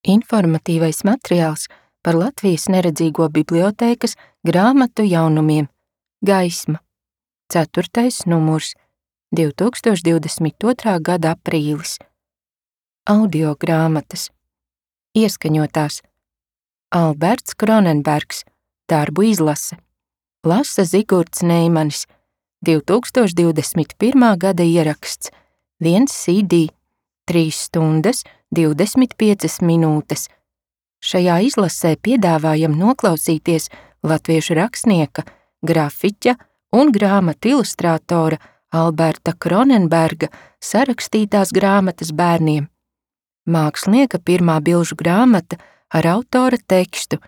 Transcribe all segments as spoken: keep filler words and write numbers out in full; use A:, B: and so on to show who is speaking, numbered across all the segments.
A: Informatīvais materiāls par Latvijas neredzīgo bibliotēkas grāmatu jaunumiem Gaisma, ceturtais numurs, divi tūkstoši divdesmit otrā gada aprīlis. Audio grāmatas. Ieskaņotās. Alberts Kronenbergs, darbu izlase. Lasa Zigurds Neimanis, divi tūkstoši divdesmit pirmā gada ieraksts, viens C D, trīs stundas, divdesmit piecas minūtes. Šajā izlasē piedāvājam noklausīties latviešu rakstnieka, grafiķa un grāmatu ilustrātora Alberta Kronenberga sarakstītās grāmatas bērniem. Mākslinieka pirmā bilžu grāmata ar autora tekstu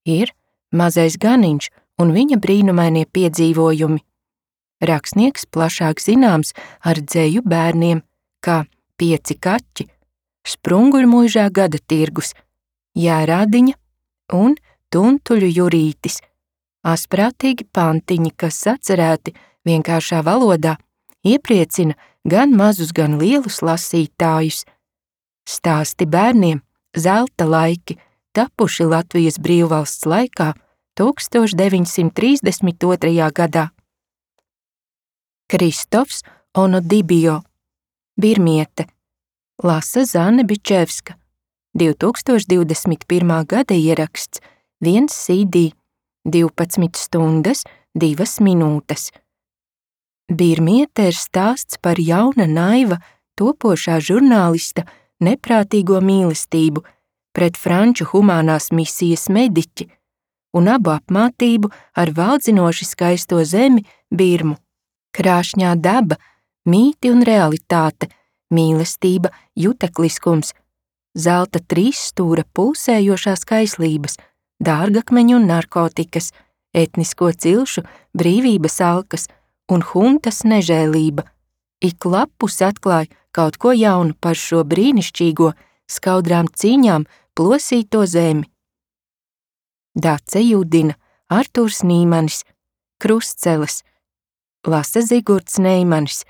A: ir Mazais ganiņš un viņa brīnumainie piedzīvojumi. Rakstnieks plašāk zināms ar dzeju bērniem, kā Pieci kaķi, Sprunguļmuižā gada tirgus, Jērādiņa un Tuntuļu Jurītis. Asprātīgi pantiņi, kas sacerēti vienkāršā valodā, iepriecina gan mazus, gan lielus lasītājus. Stāsti bērniem, zelta laiki, tapuši Latvijas brīvvalsts laikā tūkstoš deviņsimt trīsdesmit otrajā gadā. Kristofs Onodibio, Birmiete, lasa Zane Bičevska, divi tūkstoši divdesmit pirmā gada ieraksts, viens C D, divpadsmit stundas, divas minūtes. Birmiete ir stāsts par jauna naiva, topošā žurnālista neprātīgo mīlestību pret franču humānās misijas mediķi un abu apmātību ar valdzinoši skaisto zemi Birmu. Krāšņā daba, mīti un realitāte, mīlestība, jutekliskums, zelta trīsstūra pulsējošās kaislības, dārgakmeņu un narkotikas, etnisko cilšu, brīvības alkas un huntas nežēlība. Ik lapus atklāj kaut ko jaunu par šo brīnišķīgo, skaudrām cīņām plosīto zemi. Dace Judina, Artūrs Nīmanis, Krustceles, lasa Zigurds Neimanis,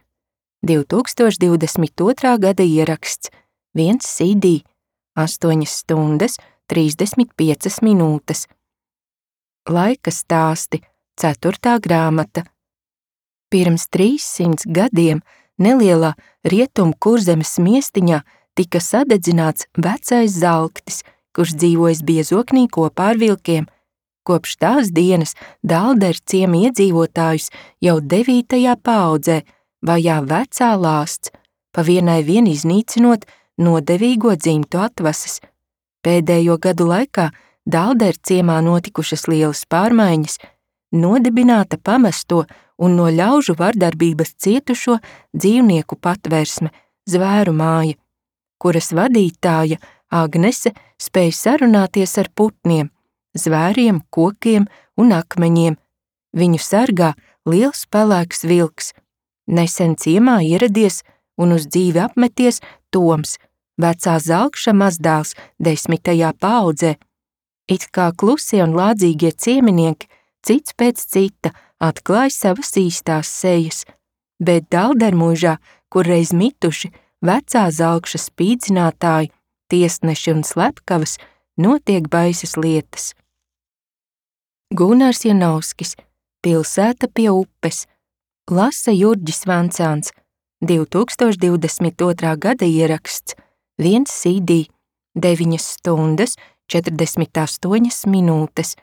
A: divi tūkstoši divdesmit otrā gada ieraksts, viens C D, astoņas stundas, trīsdesmit piecas minūtes. Laika stāsti, ceturtā grāmata. Pirms trīssimts gadiem nelielā Rietumu Kurzemes miestiņā tika sadedzināts vecais Zalktis, kurš dzīvojis biezoknī kopā ar vilkiem. Kopš tās dienas Dālderu ciema iedzīvotājus jau devītajā paaudzē vajā vecā lāsts, pa vienai vien iznīcinot nodevīgo dzimtu atvases. Pēdējo gadu laikā Dālderu ciemā notikušas lielas pārmaiņas, nodibināta pamesto un no ļaužu vardarbības cietušo dzīvnieku patvērsme, Zvēru māja, kuras vadītāja Agnese spēja sarunāties ar putniem, zvēriem, kokiem un akmeņiem. Viņu sargā liels pelēks vilks. Nesen ciemā ieradies un uz dzīvi apmeties Toms, vecā Zalkša mazdēls desmitajā paaudzē. It kā klusie un lādzīgie cieminieki cits pēc cita atklāj savas īstās sejas, bet Dāldermuižā, kur reiz mituši vecā Zalkša spīdzinātāji, tiesneši un slepkavas, notiek baisas lietas. Gunārs Janovskis, Pilsēta pie upes, lasa Jurģis Vancāns, divi tūkstoši divdesmit otrā gada ieraksts, viens C D, deviņas stundas, četrdesmit astoņas minūtes.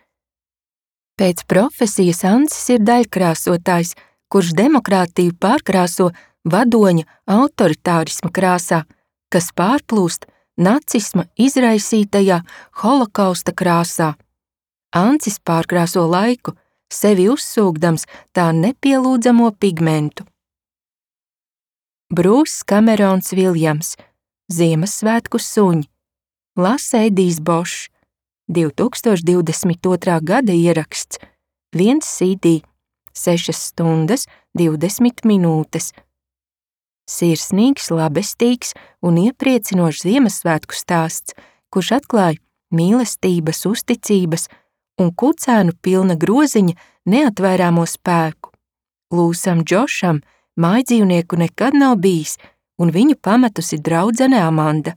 A: Pēc profesijas Ancis ir daļkrāsotājs, kurš demokrātiju pārkrāso vadoņa autoritārisma krāsā, kas pārplūst nacisma izraisītajā holokausta krāsā. Ancis pārkrāso laiku, sevi uzsūgdams tā nepielūdzamo pigmentu. Brūss Kamerons Viljams, Ziemassvētku suņi, lasa Edijs Bošs, divi tūkstoši divdesmit otrā gada ieraksts, viens C D, sešas stundas, divdesmit minūtes. Sirsnīgs, labestīgs un iepriecinošs Ziemassvētku stāsts, kurš atklāj mīlestības, uzticības un kucēnu pilna groziņa neatvairāmo spēku. Lūsam Džošam mājdzīvnieku nekad nav bijis, un viņu pametusi draudzene Amanda.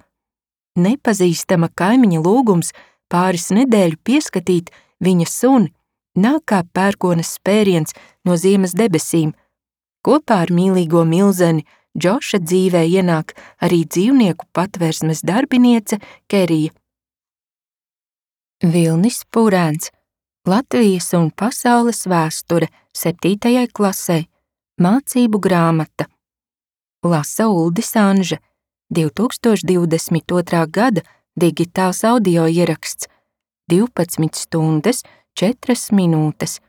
A: Nepazīstama kaimiņa lūgums pāris nedēļu pieskatīt viņa suni nāk kā pērkonas spēriens no ziemas debesīm. Kopā ar mīlīgo milzeni Džoša dzīvē ienāk arī dzīvnieku patversmes darbiniece Kerija. Vilnis Purēns, Latvijas un pasaules vēsture septītajai klasei, mācību grāmata. Lasa Uldis Anže, divi tūkstoši divdesmit otrā gada digitāls audio ieraksts, divpadsmit stundas, četras minūtes.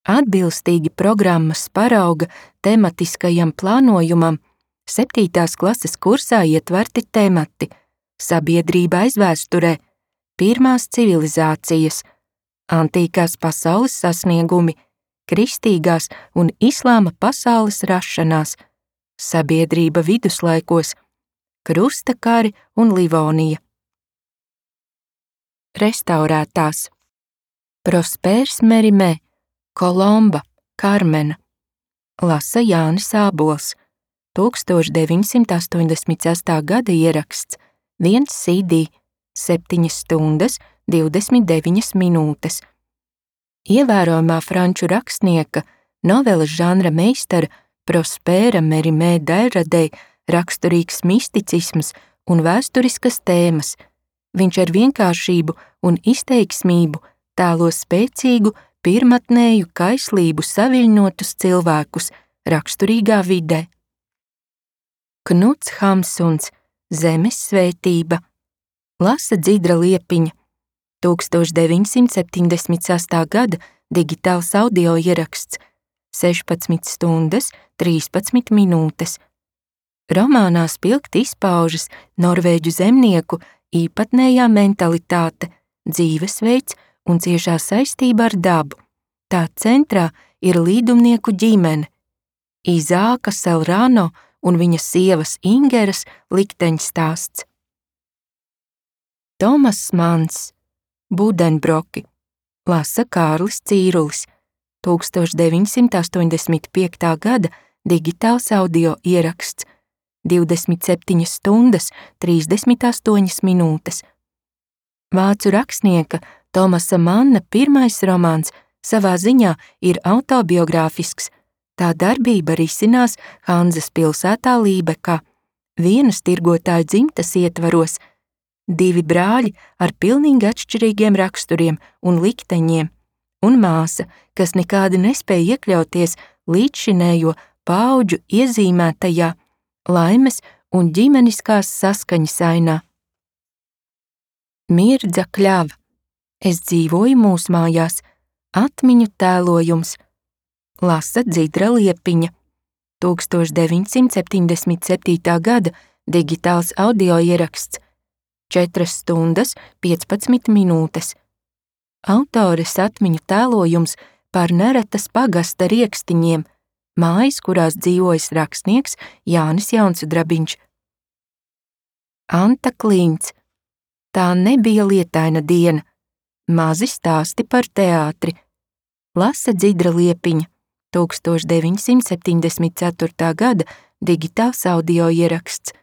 A: Atbilstīgi programmas parauga tematiskajam plānojumam, septītās klases kursā ietverti temati: sabiedrība aizvēsturē, pirmās civilizācijas, antīkās pasaules sasniegumi, kristīgās un islāma pasaules rašanās, sabiedrība viduslaikos, krusta kari un Livonija. Restaurētās: Prospērs Merimē, Kolomba, Karmena. Lasa Jānis Ābols, tūkstoš deviņsimt astoņdesmit sestā gada ieraksts, viens C D, septiņas stundas, divdesmit deviņas minūtes. Ievērojamā franču rakstnieka, noveles žanra meistara Prospēra Merimē Dairadei raksturīgs misticisms un vēsturiskas tēmas. Viņš ar vienkāršību un izteiksmību tēlo spēcīgu, pirmatnēju kaislību saviļņotus cilvēkus raksturīgā vidē. Knuts Hamsuns, Zemes svētība. Lasa Dzidra Liepiņa, tūkstoš deviņsimt septiņdesmit sestā gada digitāls audio ieraksts, sešpadsmit stundas, trīspadsmit minūtes. Romānā spilgti izpaužas norvēģu zemnieku īpatnējā mentalitāte, dzīvesveids un ciešā saistība ar dabu. Tā centrā ir līdumnieku ģimene, Izāka Selrano un viņa sievas Ingeras likteņstāsts. Tomas Mans, Budenbroki. Lasa Kārlis Cīrulis, tūkstoš deviņsimt astoņdesmit piektā gada digitāls audio ieraksts, divdesmit septiņas stundas, trīsdesmit astoņas minūtes. Vācu rakstnieka Tomasa Manna pirmais romāns savā ziņā ir autobiogrāfisks. Tā darbība risinās Hanzas pilsētā Lībekā, vienas tirgotāju dzimtas ietvaros, divi brāļi ar pilnīgi atšķirīgiem raksturiem un likteņiem, un māsa, kas nekādi nespēja iekļauties līdzšinējo paudžu iezīmētajā laimes un ģimeniskās saskaņas ainā. Mirdza Kļava, Es dzīvoju mūsmājās, atmiņu tēlojums. Lasa Dzidra Liepiņa, tūkstoš deviņsimt septiņdesmit septītā gada digitāls audio ieraksts, četras stundas, piecpadsmit minūtes. Autores atmiņu tēlojums par Neretas pagasta riekstiņiem, mājas, kurās dzīvojas rakstnieks Jānis Jaunsudrabiņš. Anta Klīns, Tā nebija lietaina diena, mazi stāsti par teātri. Lasa Dzidra Liepiņa, tūkstoš deviņsimt septiņdesmit ceturtā gada digitāls audio ieraksts,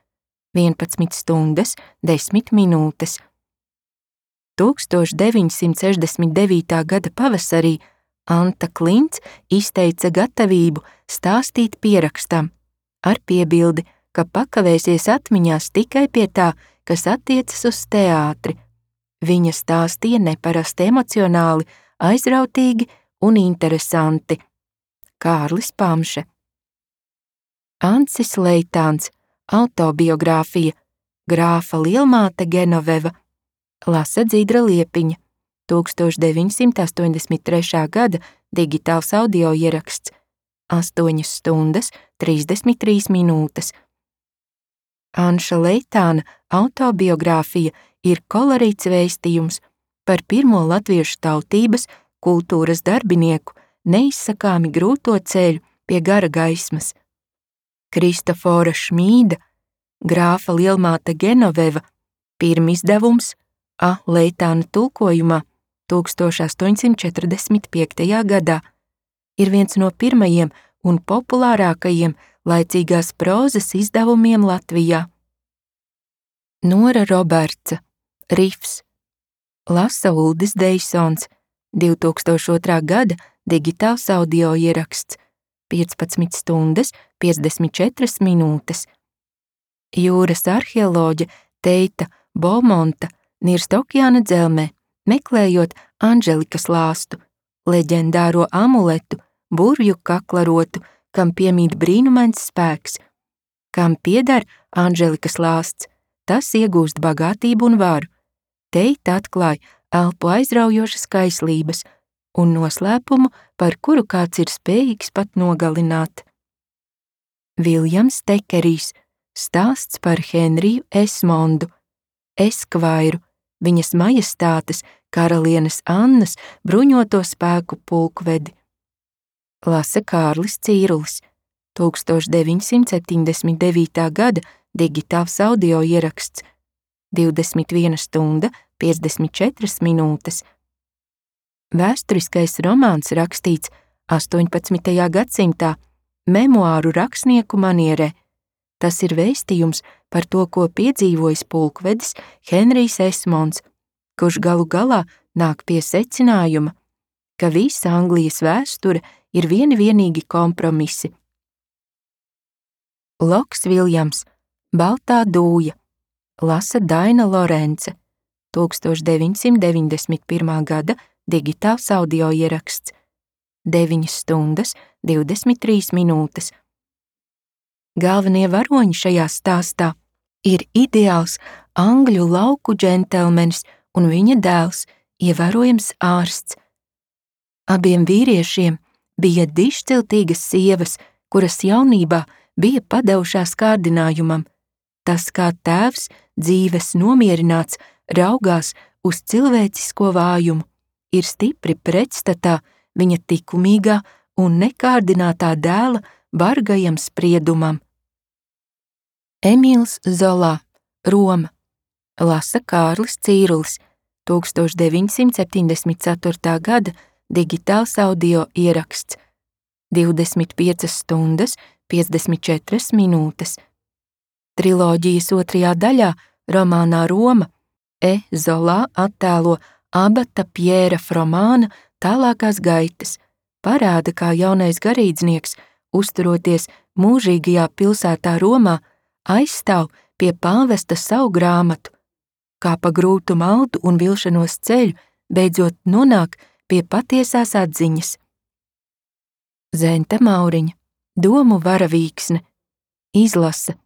A: vienpadsmit stundas, desmit minūtes. tūkstoš deviņsimt sešdesmit devītā gada pavasarī Anta Klints izteica gatavību stāstīt pierakstam, ar piebildi, ka pakavēsies atmiņās tikai pie tā, kas attiecas uz teātri. Viņa stāstīja neparasti emocionāli, aizrautīgi un interesanti. Kārlis Pamše. Ancis Leitāns, autobiogrāfija, grāfa lielmāte Genoveva. Lasa Dzidra Liepiņa, tūkstoš deviņsimt astoņdesmit trešā gada digitāls audio ieraksts, astoņas stundas, trīsdesmit trīs minūtes. Anša Leitāna autobiogrāfija ir kolorīts vēstījums par pirmo latviešu tautības, kultūras darbinieku neizsakāmi grūto ceļu pie gara gaismas. Kristofora Šmīda, grāfa lielmāte Genoveva, pirmizdevums A. Leitāna tulkojumā tūkstoš astoņsimt četrdesmit piektajā gadā, ir viens no pirmajiem un populārākajiem laicīgās prozas izdevumiem Latvijā. Nora Robertsa, Rifs. Lasa Uldis Deisons, divtūkstoš otrā gada digitāls audio ieraksts, piecpadsmit stundas, piecdesmit četras minūtes. Jūras arheoloģe Teita Beaumonta nirst okeāna dzelmē, meklējot Anželikas lāstu, leģendāro amuletu, burvju kaklarotu, kam piemīt brīnumains spēks. Kam pieder Anželikas lāsts, tas iegūst bagātību un varu. Teita atklāja elpu aizraujošas kaislības un noslēpumu, par kuru kāds ir spējīgs pat nogalināt. Viljams Tekerijs, stāsts par Henriju Esmondu, Eskvairu, viņas majestātes karalienes Annas bruņoto spēku pulkvedi. Lasa Kārlis Cīrulis, tūkstoš deviņsimt septiņdesmit devītā gada digitāls audio ieraksts, divdesmit viena stunda, piecdesmit četras minūtes. Vēsturiskais romāns rakstīts astoņpadsmitajā gadsimtā memoāru rakstnieku manierē. Tas ir vēstījums par to, ko piedzīvojis pulkvedis Henrijs Esmonds, kurš galu galā nāk pie secinājuma, ka visa Anglijas vēsture ir vieni vienīgi kompromisi. Loks Viljams, Baltā dūja, lasa Daina Lorence, tūkstoš deviņsimt deviņdesmit pirmā gada digitāls audio ieraksts, deviņas stundas, divdesmit trīs minūtes. Galvenie varoņi šajā stāstā ir ideāls angļu lauku džentelmenis un viņa dēls, ievērojams ārsts. Abiem vīriešiem bija dišciltīgas sievas, kuras jaunībā bija padevušās kārdinājumam. Tas, kā tēvs, dzīves nomierināts, raugās uz cilvēcisko vājumu, ir stipri pretstatā viņa likumīgā un nekārdinātā dēla bargajam spriedumam. Emīls Zolā, Roma, lasa Kārlis Cīrulis, tūkstoš deviņsimt septiņdesmit ceturtā gada digitāls audio ieraksts, divdesmit piecas stundas, piecdesmit četras minūtes. Triloģijas otrajā daļā, romānā Roma, E. Zolā attēlo abata Pjēra Fromāna tālākās gaitas, parāda, kā jaunais garīdznieks, uzturoties mūžīgajā pilsētā Romā, aizstāv pie pāvesta savu grāmatu, kā pa grūtu maldu un vilšanos ceļu beidzot nonāk pie patiesās atziņas. Zenta Mauriņa, Domu varavīksne, izlasa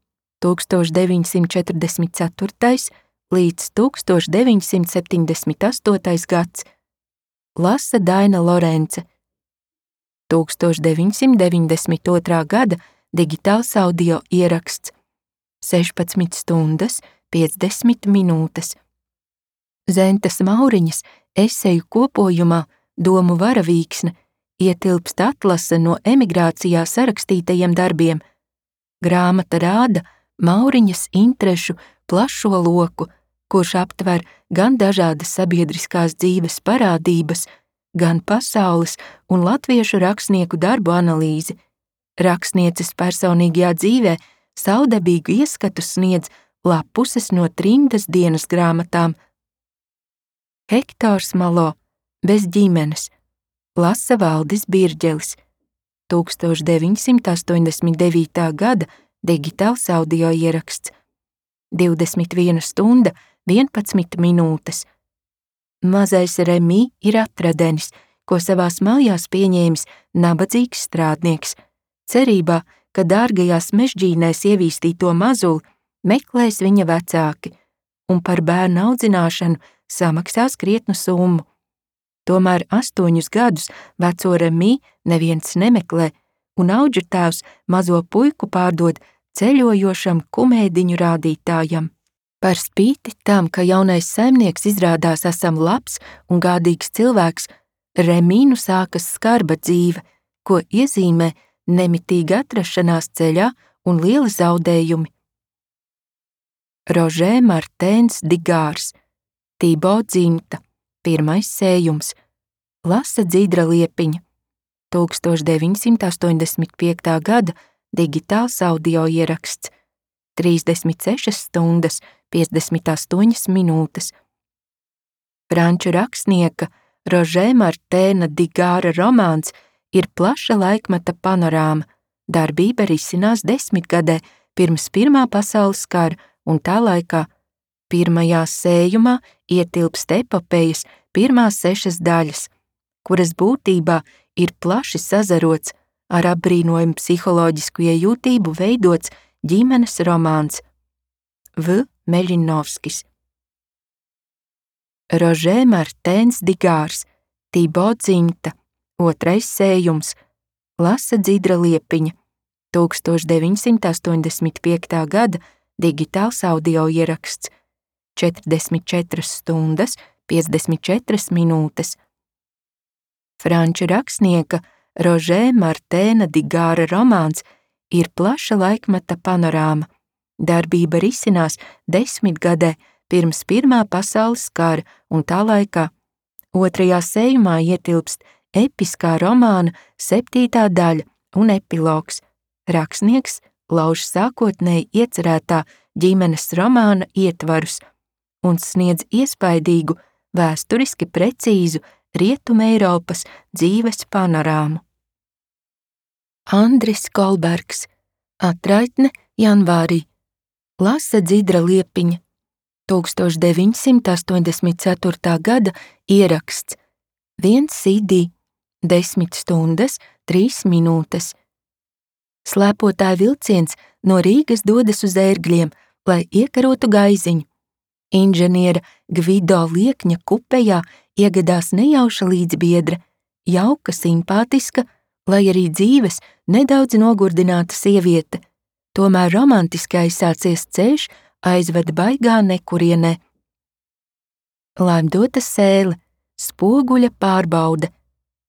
A: tūkstoš deviņsimt četrdesmit ceturtais līdz tūkstoš deviņsimt septiņdesmit astotais gads, lasa Daina Lorence, tūkstoš deviņsimt deviņdesmit otrā gada digitāls audio ieraksts, sešpadsmit stundas, piecdesmit minūtes. Zentas Mauriņas eseju kopojumā Domu varavīksne ietilpst atlase no emigrācijā sarakstītajiem darbiem. Grāmata rāda Mauriņas interešu plašo loku, kurš aptver gan dažādas sabiedriskās dzīves parādības, gan pasaules un latviešu rakstnieku darbu analīzi. Rakstnieces personīgajā dzīvē saudabīgu ieskatu sniedz lapuses no trimdas dienas grāmatām. Hektors Malo, Bez ģimenes, lasa Valdis Birģelis, tūkstoš deviņsimt astoņdesmit devītā gada digitāls audio ieraksts, divdesmit viena stunda, vienpadsmit minūtes. Mazais Remī ir atradenis, ko savās mājās pieņēmis nabadzīgs strādnieks, cerībā, ka dārgajās mežģīnēs ievīstīto mazuli meklēs viņa vecāki un par bērnu audzināšanu samaksās krietnu summu. Tomēr astoņus gadus veco Remī neviens nemeklē, un audžu tēvs mazo puiku pārdod ceļojošam kumēdiņu rādītājam. Par spīti tam, ka jaunais saimnieks izrādās esam labs un gādīgs cilvēks, Remīnu sākas skarba dzīve, ko iezīmē nemitīga atrašanās ceļā un lieli zaudējumi. Rožē Martēns Digārs, Tibo dzimta, pirmais sējums, lasa Dzidra Liepiņa, tūkstoš deviņsimt astoņdesmit piektā gada digitāls audio ieraksts, trīsdesmit sešas stundas, piecdesmit astoņas minūtes. Franču rakstnieka Rožē Martēna Digāra romāns ir plaša laikmeta panorāma. Darbība risinās desmitgadē pirms Pirmā pasaules kara un tā laikā. Pirmajā sējumā ietilpst epopejas pirmās sešas daļas, kuras būtībā ir plaši sazarots ar apbrīnojumu psiholoģisku iejūtību veidots ģimenes romāns. V. Meļinovskis. Rožē Martēns Digārs, Tibo Dziņta, otrais sējums, lasa Dzidra Liepiņa, tūkstoš deviņsimt astoņdesmit piektā gada digitāls audio ieraksts, četrdesmit četras stundas, piecdesmit četras minūtes. Franču rakstnieka Rožē Martēna Digāra romāns ir plaša laikmeta panorāma. Darbība risinās desmitgadē pirms Pirmā pasaules kara un tā laikā. Otrajā sējumā ietilpst episkā romāna septītā daļa un epilogs. Rakstnieks lauž sākotnēji iecerētā ģimenes romāna ietvarus un sniedz iespaidīgu, vēsturiski precīzu Rietuma Eiropas dzīves panorāmu. Andris Kolbergs, Atraitne janvārī, lasa Dzidra Liepiņa, tūkstoš deviņsimt astoņdesmit ceturtā gada ieraksts, viens C D, desmit stundas, trīs minūtes. Slēpotāja vilciens no Rīgas dodas uz Ērgļiem, lai iekarotu gaiziņu. Inženiera Gvido Liekņa kupejā iegadās nejauša līdzbiedre, jauka, simpātiska, lai arī dzīves nedaudz nogurdināta sieviete, tomēr romantiski aizsācies ceļš aizved baigā nekurienē. Laimdota sēle, spoguļa pārbaude,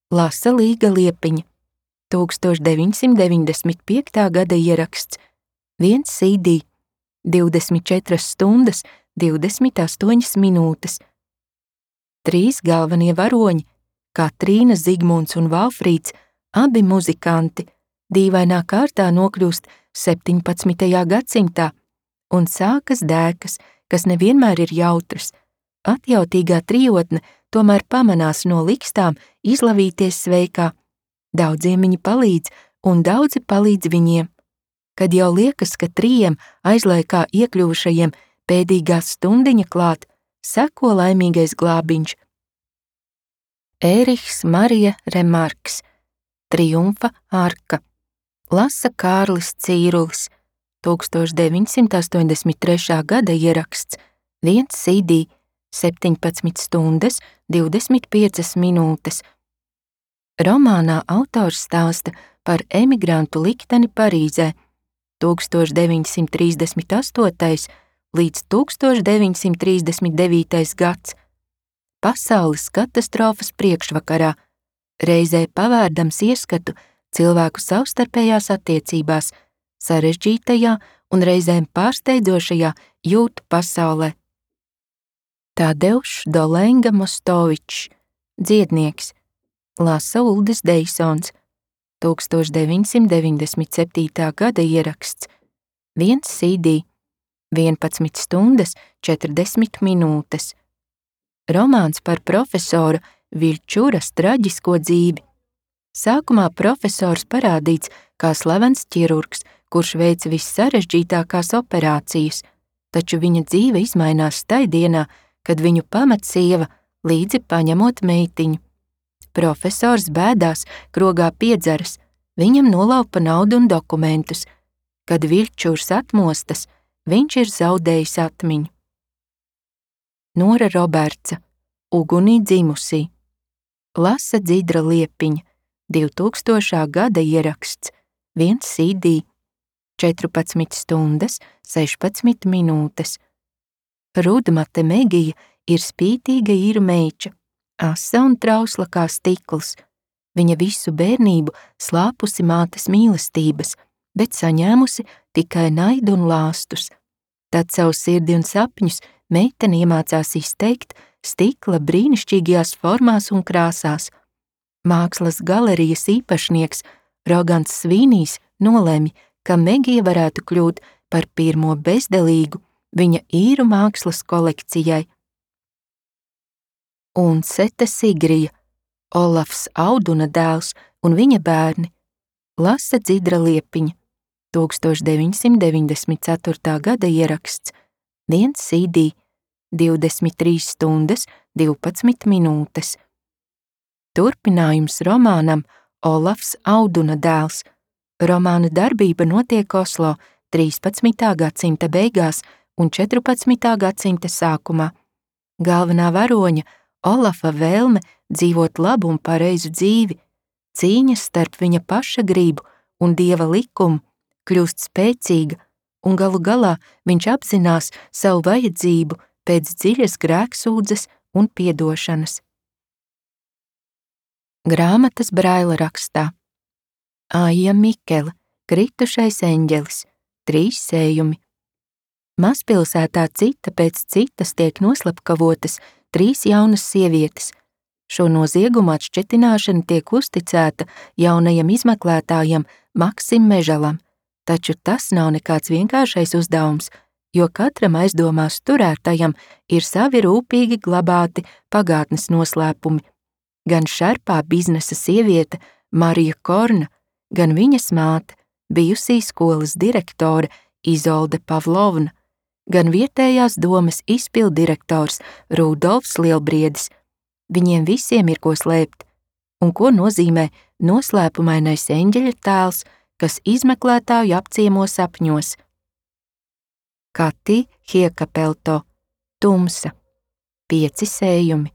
A: lasa Līga Liepiņa, tūkstoš deviņsimt deviņdesmit piektā gada ieraksts, viens C D, divdesmit četras stundas, divdesmit astoņas minūtes. Trīs galvenie varoņi, Katrīna, Zigmunds un Valfrīds, abi muzikanti, dīvainā kārtā nokļūst septiņpadsmitajā gadsimtā, un sākas dēkas, kas nevienmēr ir jautras. Atjautīgā trijotne tomēr pamanās no likstām izlavīties sveikā. Daudziem viņi palīdz, un daudzi palīdz viņiem. Kad jau liekas, ka trījiem aizlaikā iekļuvušajiem pēdīgās stundiņa klāt, seko laimīgais glābiņš. Ērihs Marija Remarks, Triumfa arka, lasa Kārlis Cīrulis, tūkstoš deviņsimt astoņdesmit trešā gada ieraksts, viens C D, septiņpadsmit stundas, divdesmit piecas minūtes. Romānā autors stāsta par emigrantu likteni Parīzē, tūkstoš deviņsimt trīsdesmit astotais līdz tūkstoš deviņsimt trīsdesmit devītais gads. Pasaules katastrofas priekšvakarā, reizē pavērdams ieskatu cilvēku savstarpējās attiecībās, sarežģītajā un reizēm pārsteidzošajā jūtu pasaulē. Tadeušs Dolenga Mostovičs, dziednieks, lasa Uldis Deisons, tūkstoš deviņsimt deviņdesmit septītā gada ieraksts, viens C D, vienpadsmit stundas, četrdesmit minūtes. Romāns par profesora Viļčuras traģisko dzīvi. Sākumā profesors parādīts kā slavens ķirurgs, kurš veic vissarežģītākās operācijas, taču viņa dzīve izmainās tai dienā, kad viņu pamet sieva, līdzi paņemot meitiņu. Profesors bēdās, krogā piedzeras, viņam nolaupa naudu un dokumentus. Kad Viļčurs atmostas, viņš ir zaudējis atmiņu. Nora Robertsa, Ugunī dzimusī, lasa Dzidra Liepiņa, divtūkstošā gada ieraksts, viens C D, četrpadsmit stundas, sešpadsmit minūtes. Rudmate Megija ir spītīga īru meiča, asa un trausla kā stikls. Viņa visu bērnību slāpusi mātes mīlestības, bet saņēmusi tikai naidu un lāstus. Tad savu sirdi un sapņus meitene iemācās izteikt stikla brīnišķīgajās formās un krāsās. Mākslas galerijas īpašnieks Rogants Svīnijs nolemj, ka Megija varētu kļūt par pirmo bezdelīgu, viņa īru mākslas kolekcijai. Un Sete Sigrija, Olafs Auduna dēls un viņa bērni, lasa Dzidra Liepiņa, tūkstoš deviņsimt deviņdesmit ceturtā gada ieraksts, viens C D, divdesmit trīs stundas, divpadsmit minūtes. Turpinājums romānam Olafs Auduna dēls. Romāna darbība notiek Oslo trīspadsmitā gadsimta beigās un četrpadsmitā gadsimta sākumā. Galvenā varoņa Olafa vēlme dzīvot labu un pareizu dzīvi, cīņas starp viņa paša gribu un dieva likumu kļūst spēcīga, un galu galā viņš apzinās savu vajadzību pēc dziļas grēksūdzes un piedošanas. Grāmatas Braila rakstā. Aija Mikele, Kritušais eņģelis, trīs sējumi. Mazpilsētā cita pēc citas tiek noslapkavotas trīs jaunas sievietes. Šo noziegumu atšķetināšana tiek uzticēta jaunajam izmeklētājam Maksim Mežalam, taču tas nav nekāds vienkāršais uzdevums, jo katram aizdomās turētajam ir savi rūpīgi glabāti pagātnes noslēpumi. Gan šarpā biznesa sieviete Marija Korna, gan viņas māte, bijusī skolas direktore Izolde Pavlovna, gan vietējās domas izpilddirektors Rudolfs Lielbriedis. Viņiem visiem ir ko slēpt, un ko nozīmē noslēpumainais eņģeļa tēls, kas izmeklētāju apciemo sapņos. Kati Hiekapelto, Tumsa, pieci sējumi.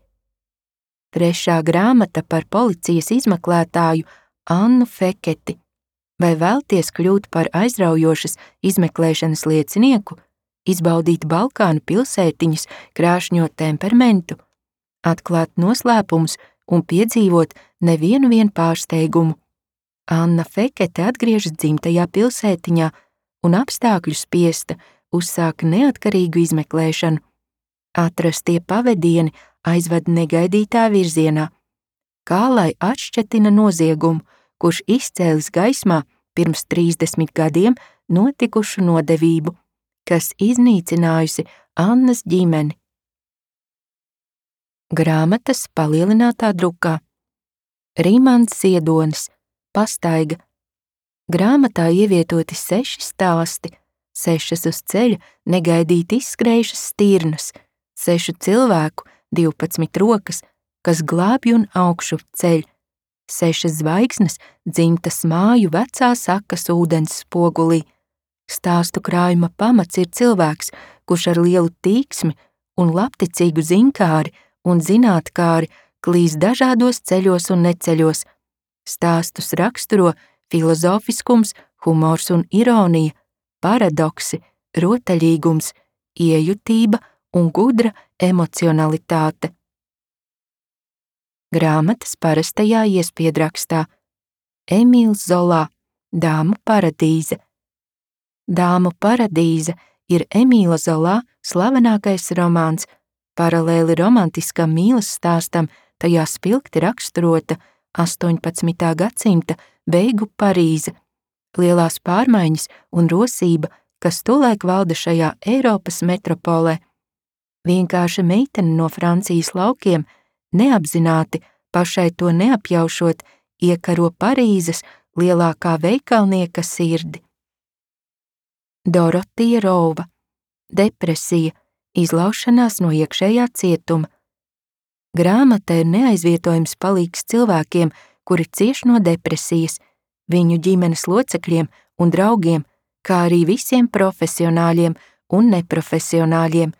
A: Trešā grāmata par policijas izmeklētāju Annu Feketi. Vai vēlties kļūt par aizraujošas izmeklēšanas liecinieku, izbaudīt Balkānu pilsētiņas krāšņo temperamentu, atklāt noslēpumus un piedzīvot nevienu vien pārsteigumu? Anna Fekete atgriežas dzimtajā pilsētiņā un apstākļu spiesta uzsāka neatkarīgu izmeklēšanu. Atrastie pavedieni aizved negaidītā virzienā. Kā lai atšķetina noziegumu, kurš izcēlis gaismā pirms trīsdesmit gadiem notikušu nodevību, kas iznīcinājusi Annas ģimeni. Grāmatas palielinātā drukā. Rimants Ziedonis, Pastaiga. Grāmatā ievietoti seši stāsti, sešas uz ceļa negaidīti izskrējušas stirnas, sešu cilvēku, divpadsmit rokas, kas glābj un augšu ceļ, sešas zvaigznes dzimtas māju vecā sakas ūdens spogulī. Stāstu krājuma pamats ir cilvēks, kurš ar lielu tīksmi un labticīgu zinkāri un zinātkāri klīs dažādos ceļos un neceļos. Stāstus raksturo filozofiskums, humors un ironija, paradoksi, rotaļīgums, iejutība un gudra emocionalitāte. Grāmatas parastajā iespiedrakstā. Emīls Zolā, Dāmu paradīze. Dāmu paradīze ir Emīla Zolā slavenākais romāns, paralēli romantiskam mīlas stāstam, tajā spilgti raksturota astoņpadsmitā gadsimta beigu Parīze, lielās pārmaiņas un rosība, kas tolaik valda šajā Eiropas metropolē. Vienkārša meitene no Francijas laukiem, neapzināti, pašai to neapjaušot, iekaro Parīzes lielākā veikalnieka sirdi. Dorotija Rova, Depresija, izlaušanās no iekšējā cietuma. Grāmata ir neaizvietojams palīgs cilvēkiem, kuri cieš no depresijas, viņu ģimenes locekļiem un draugiem, kā arī visiem profesionāļiem un neprofesionāļiem,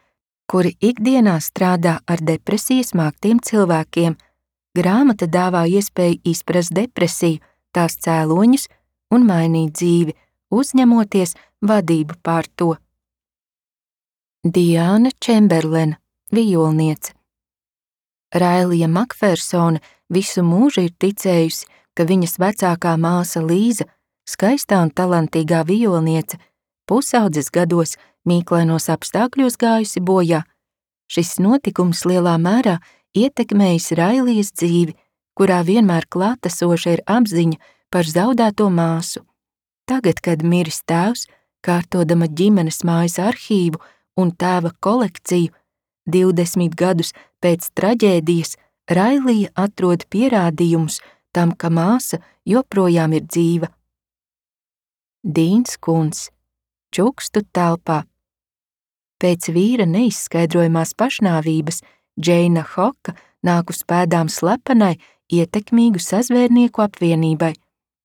A: kuri ikdienā strādā ar depresijas māktiem cilvēkiem. Grāmata dāvā iespēju izprast depresiju, tās cēloņus un mainīt dzīvi, uzņemoties vadību pār to. Diāna Čemberlena, vijolniece. Railija Makfersone visu mūžu ir ticējusi, ka viņas vecākā māsa Līza, skaistā un talantīgā vijolniece, pusaudzes gados mīklainos apstākļos gājusi bojā. Šis notikums lielā mērā ietekmējis Railijas dzīvi, kurā vienmēr klātesoša ir apziņa par zaudēto māsu. Tagad, kad miris tēvs, kārtodama ģimenes mājas arhīvu un tēva kolekciju, divdesmit gadus pēc traģēdijas Railija atrod pierādījumus tam, ka māsa joprojām ir dzīva. Dīns Kunds, čukstu telpā. Pēc vīra neizskaidrojamās pašnāvības Džeina Hoka nāk uz pēdām slepenai, ietekmīgu sazvērnieku apvienībai,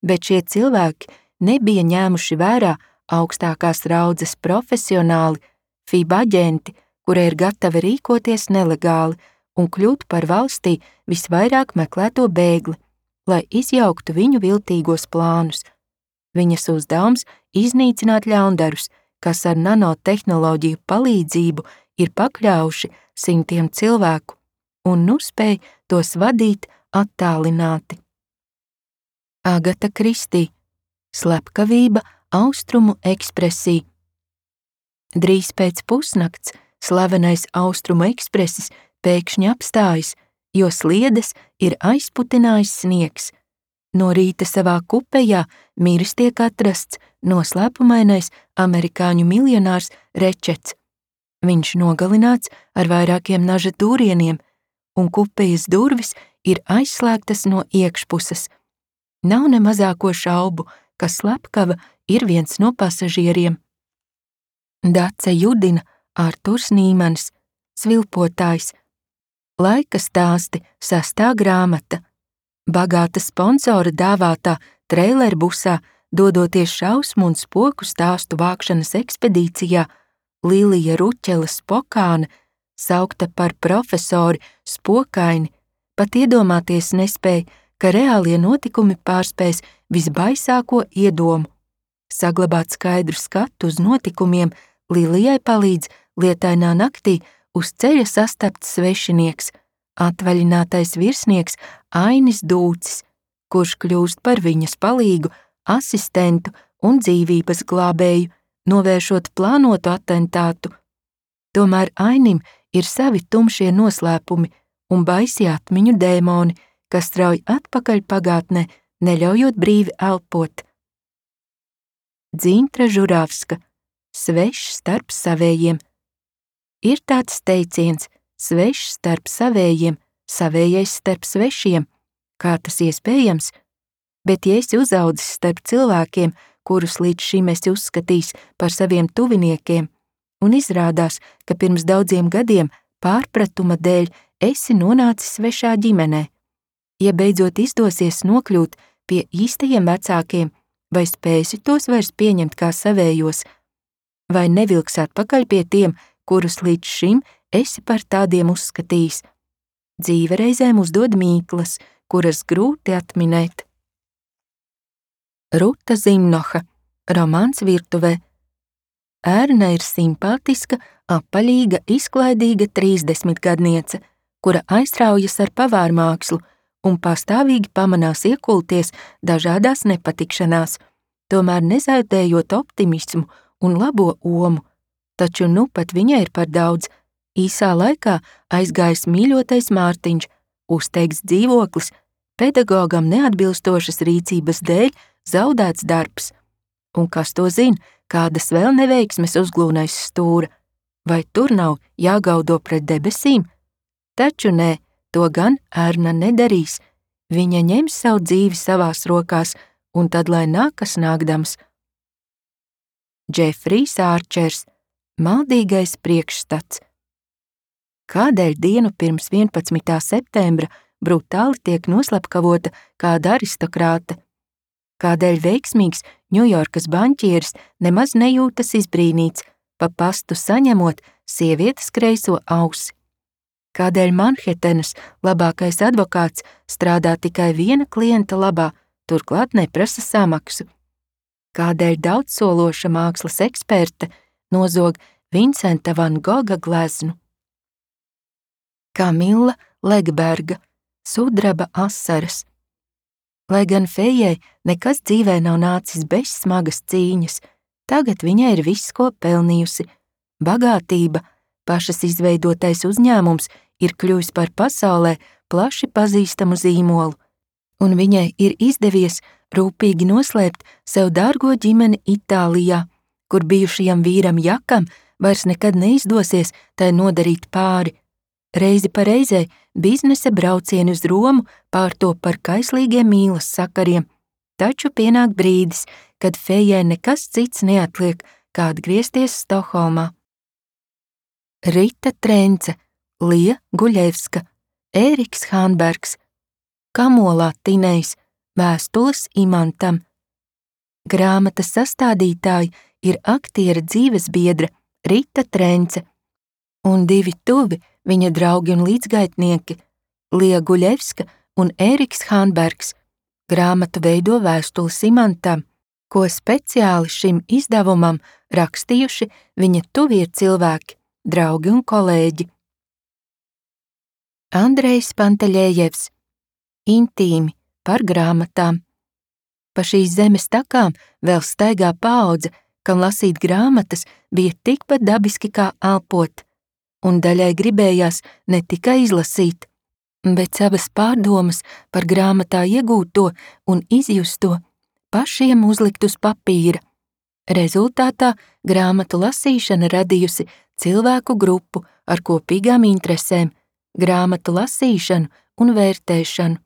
A: bet šie cilvēki nebija ņēmuši vērā augstākās raudzes profesionāli, F I B aģenti, kuri ir gatavi rīkoties nelegāli un kļūt par valstī visvairāk meklēto bēgli, lai izjauktu viņu viltīgos plānus. Viņas uzdevums iznīcināt ļaundarus, kas ar nanotehnoloģiju palīdzību ir pakļauši simtiem cilvēku un nu spēj tos vadīt attālināti. Agata Kristī, slepkavība Austrumu ekspresī. Drīz pēc pusnakts slavenais Austrumu ekspresis pēkšņi apstājas, jo sliedes ir aizputinājis sniegs. No rīta savā kupejā miris tiek atrasts noslēpumainais amerikāņu miljonārs Rečets. Viņš nogalināts ar vairākiem naža dūrieniem, un kupejas durvis ir aizslēgtas no iekšpuses. Nav ne mazāko šaubu, ka slepkava ir viens no pasažieriem. Dace Judina, Arturs Nīmans, Svilpotājs. Laika stāsti, sastā grāmata. Bagāta sponsora dāvātā treilerbusā, dodoties šausmu un spoku stāstu vākšanas ekspedīcijā, Lilija Ruķela Spokāne, saukta par profesori Spokaini, pat iedomāties nespēja, ka reālie notikumi pārspēs visbaisāko iedomu. Saglabāt skaidru skatu uz notikumiem Lilijai palīdz lietainā naktī uz ceļa sastapts svešinieks, atvaļinātais virsnieks Ainis Dūcis, kurš kļūst par viņas palīgu, asistentu un dzīvības glābēju, novēršot plānotu atentātu. Tomēr Ainim ir savi tumšie noslēpumi un baisi atmiņu dēmoni, kas strauj atpakaļ pagātnē, neļaujot brīvi elpot. Dzintra Žuravska, svešs starp savējiem. Ir tāds teiciens, svešs starp savējiem, savējais starp svešiem, kā tas iespējams, bet ja esi uzaudzis starp cilvēkiem, kurus līdz šim esi uzskatījis par saviem tuviniekiem, un izrādās, ka pirms daudziem gadiem pārpratuma dēļ esi nonācis svešā ģimenē. Ja beidzot izdosies nokļūt pie īstajiem vecākiem, vai spēsi tos vairs pieņemt kā savējos, vai nevilks atpakaļ pie tiem, kurus līdz šim esi par tādiem uzskatījis. Dzīve reizēm uzdod mīklas, kuras grūti atminēt. Ruta Zimnoha, romāns virtuvē. Ērna ir simpātiska, apaļīga, izklaidīga trīsdesmitgadniece, kura aizraujas ar pavārmākslu un pastāvīgi pamanās iekulties dažādās nepatikšanās, tomēr nezaudējot optimismu un labo omu, taču nu pat viņai ir par daudz. Īsā laikā aizgājis mīļotais Mārtiņš, uzteikts dzīvoklis, pedagogam neatbilstošas rīcības dēļ zaudēts darbs. Un kas to zina, kādas vēl neveiksmes uzglūnais stūra, vai tur nav jāgaudo pret debesīm? Taču nē, to gan Ērna nedarīs. Viņa ņems savu dzīvi savās rokās, un tad lai nākas nākdams. Džefrijs Ārčers, maldīgais priekšstats. Kādēļ dienu pirms vienpadsmitā septembra brutāli tiek noslepkavota kāda aristokrāte? Kādēļ veiksmīgs Ņujorkas banķieris nemaz nejūtas izbrīnīts, pa pastu saņemot sievietes kreiso ausi? Kādēļ Manhetenas labākais advokāts strādā tikai viena klienta labā, turklāt neprasa samaksu? Kādēļ daudzsološa mākslas eksperte nozog Vincenta van Goga gleznu? Kamila Legberga, sudraba asaras. Lai gan Fejai nekas dzīvē nav nācis bez smagas cīņas, tagad viņai ir viss, ko pelnījusi. Bagātība, pašas izveidotais uzņēmums ir kļuvis par pasaulē plaši pazīstamu zīmolu, un viņai ir izdevies rūpīgi noslēpt sev dārgo ģimeni Itālijā, kur bijušajam vīram Jakam vairs nekad neizdosies tai nodarīt pāri. Reizi pa reizei biznesa braucieni uz Romu pārtop par kaislīgiem mīlas sakariem, taču pienāk brīdis, kad Fejai nekas cits neatliek, kā atgriezties Stokholmā. Rita Trence, Lija Guļevska, Ēriks Hanbergs, Kamolā Tinejs, Vēstules Imantam. Grāmatas sastādītāji ir aktiera dzīvesbiedra Rita Trence un divi tuvi viņa draugi un līdzgaitnieki Lija Guļevska un Ēriks Hanbergs. Grāmatu veido Vēstules Imantam, ko speciāli šim izdevumam rakstījuši viņa tuvie cilvēki, draugi un kolēģi. Andrejs Panteļējevs, Intīmi par grāmatām. Pa šīs zemes takām vēl staigā paudze, kam lasīt grāmatas bija tikpat dabiski kā elpot, un daļai gribējās ne tikai izlasīt, bet savas pārdomas par grāmatā iegūto un izjusto pašiem uzlikt uz papīra. Rezultātā grāmatu lasīšana radījusi cilvēku grupu ar kopīgām interesēm, grāmatu lasīšanu un vērtēšanu.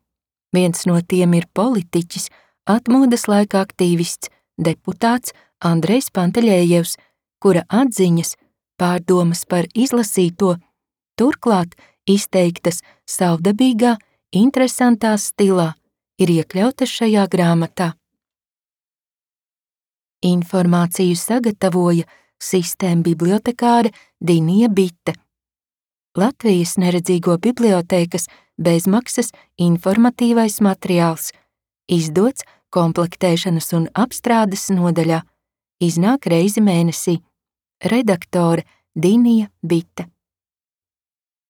A: Viens no tiem ir politiķis, atmodas laika aktīvists, deputāts Andrejs Panteļējevs, kura atziņas, pārdomas par izlasīto, turklāt izteiktas savdabīgā, interesantā stilā, ir iekļautas šajā grāmatā. Informāciju sagatavoja sistēma bibliotekāre Dinija Bite. Latvijas neredzīgo bibliotēkas bezmaksas informatīvais materiāls, izdots komplektēšanas un apstrādes nodaļā, iznāk reizi mēnesī. Redaktore Dinija Bite.